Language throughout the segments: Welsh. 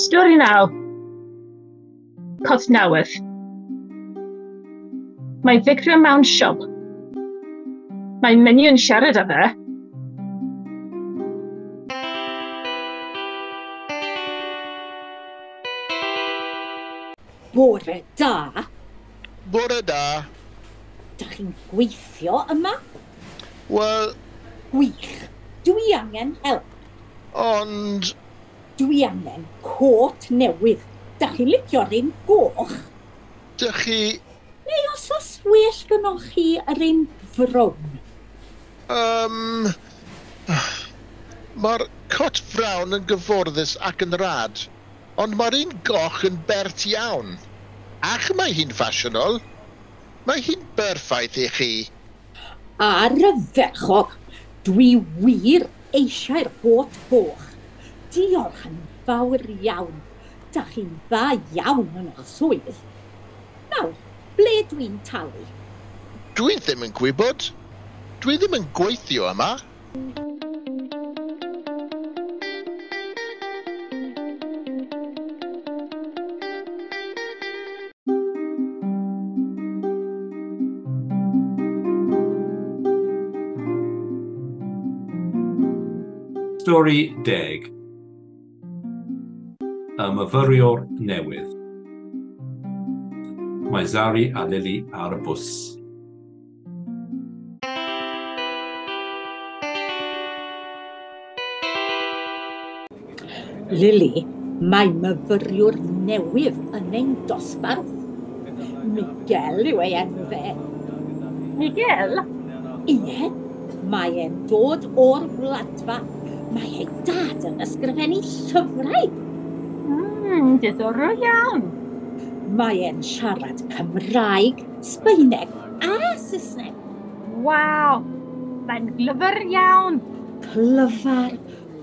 Stori 9. Cot newydd. Mae Vikram mewn siop. Mae menyw yn siarad â fe. Bore da. Bore da. Dych chi'n gweithio yma? Wel... Gwych. Dwi angen help. Ond... Dwi angen cot newydd. Dych chi'n licio'r un goch? Dych chi... Neu os oes well gynnoch chi yr un frown? Mae'r cot frown yn gyfforddus ac yn rad, ond mae'r un goch yn bert iawn. Ac mae hi'n ffasiynol. Mae hi'n berffaith i chi. Ar y ferchog, dwi wir eisiau'r got goch. Diolch yn fawr iawn. Dach chi'n dda iawn yn eich swydd. Nawr, ble dwi'n talu? Dwi ddim yn gwybod. Dwi ddim yn gweithio yma. Stori 10. Y myfyriwr newydd. Mae Zari a Lily ar y bws. Lily, mae myfyriwr newydd yn ein dosbarth. Miguel yw ei enw fe. Miguel? Ie, mae e'n dod o'r Wladfa. Mae ei dad yn ysgrifennu llyfrau. Diddorol iawn. Mae e'n siarad Cymraeg, Sbaeneg a Saesneg. Waw, mae'n glyfar iawn. Clyfar,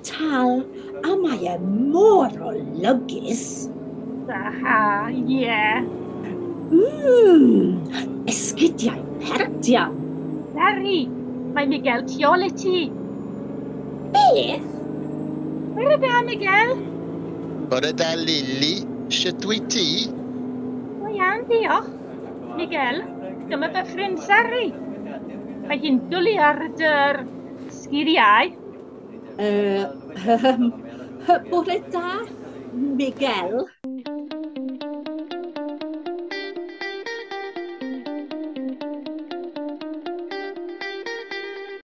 tal, a mae e mor olygus. Aha, ie. Esgidiau pert iawn. Zari, mae Miguel tu ôl i ti. Beth? Bore da, Miguel. Bore da, Lily. Sut wyt ti? O iawn, diolch. Miguel, dyma fy ffrind Zari. Mae hi'n dwlu ar dy'r sgiliau. Bore da, Miguel.